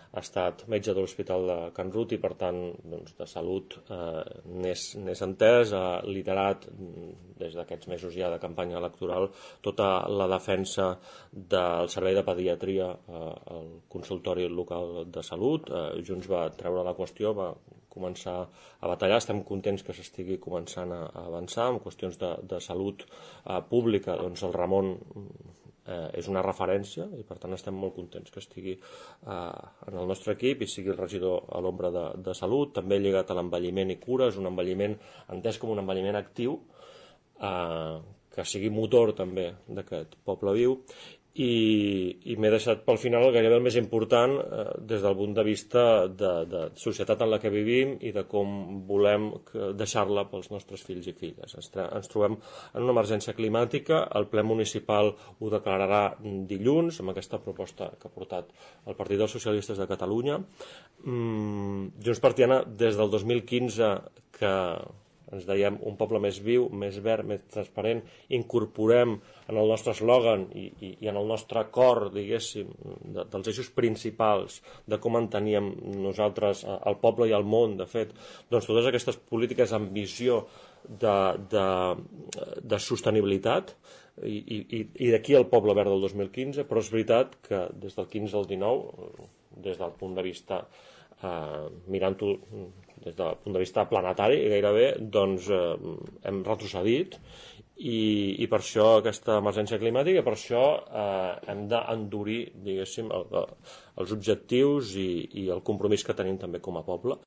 ha estat metge de l'Hospital de Can Rut i per tant de salut n'és entès, ha liderat des d'aquests mesos ja de campanya electoral tota la defensa del servei de pediatria al consultori local de salut. Junts va treure la qüestió, va començar a batallar. Estem contents que s'estigui començant a avançar en qüestions de salut pública. Doncs el Ramon és una referència i per tant estem molt contents que estigui en el nostre equip i sigui el regidor a l'ombra de salut. També lligat a l'envelliment i cures, un envelliment entès com un envelliment actiu que sigui motor també d'aquest poble viu. I m'he deixat pel final gairebé el més important des del punt de vista de societat en la que vivim i de com volem deixar-la pels nostres fills i filles. Ens trobem en una emergència climàtica, el ple municipal ho declararà dilluns amb aquesta proposta que ha portat el Partit dels Socialistes de Catalunya. Junts per Tiana des del 2015 que ens dèiem un poble més viu, més verd, més transparent, incorporem en el nostre eslògan i en el nostre cor, diguéssim, dels eixos principals de com enteníem nosaltres el poble i el món, de fet, doncs totes aquestes polítiques amb visió de sostenibilitat i d'aquí el poble verd del 2015, però és veritat que des del 15 al 19, des del punt de vista mirant-ho des del punt de vista planetari gairebé, doncs hem retrocedit i per això aquesta emergència climàtica, per això hem d'endurir, diguéssim, els objectius i el compromís que tenim també com a poble.